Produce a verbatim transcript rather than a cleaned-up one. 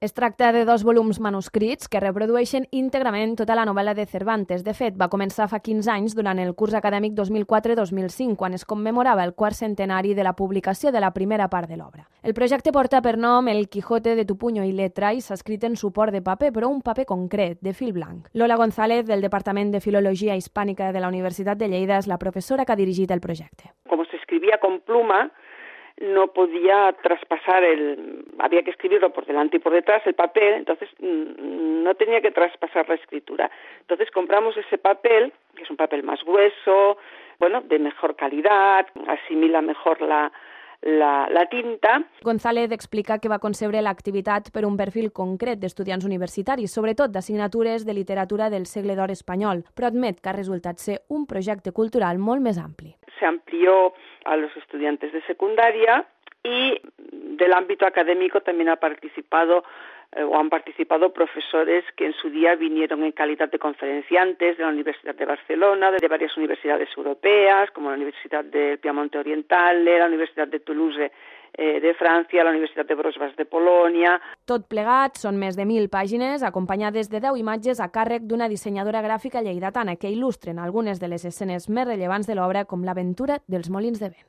Es tracta de dos volums manuscrits que reprodueixen íntegrament tota la novel·la de Cervantes. De fet, va començar fa quinze anys durant el curs acadèmic dos mil quatre dos mil cinc, quan es commemorava el quart centenari de la publicació de la primera part de l'obra. El projecte porta per nom El Quijote de tu puño y letra i s'ha escrit en suport de paper, però un paper concret, de fil blanc. Lola González, del Departament de Filologia Hispànica de la Universitat de Lleida, és la professora que ha dirigit el projecte. Como se escribía con pluma, no podía traspasar el... había que escribirlo por delante y por detrás, el papel, entonces no tenía que traspasar la escritura. Entonces compramos ese papel, que es un papel más grueso, bueno, de mejor calidad, asimila mejor la, la, la tinta. González explica que va concebre l'activitat per un perfil concret d'estudiants universitaris, sobretot d'assignatures de literatura del segle d'or espanyol, però admet que ha resultat ser un projecte cultural molt més ampli. Se amplió a los estudiantes de secundaria y del ámbito académico también ha participado eh, o han participado profesores que en su día vinieron en calidad de conferenciantes de la Universidad de Barcelona, de varias universidades europeas, como la Universidad del Piamonte Oriental, la Universidad de Toulouse eh, de Francia, la Universitat de Wrocław de Polònia. Tot plegat són més de mil pàgines, acompanyades de deu imatges a càrrec d'una dissenyadora gràfica lleidatana que il·lustren algunes de les escenes més rellevants de l'obra, com l'aventura dels molins de vent.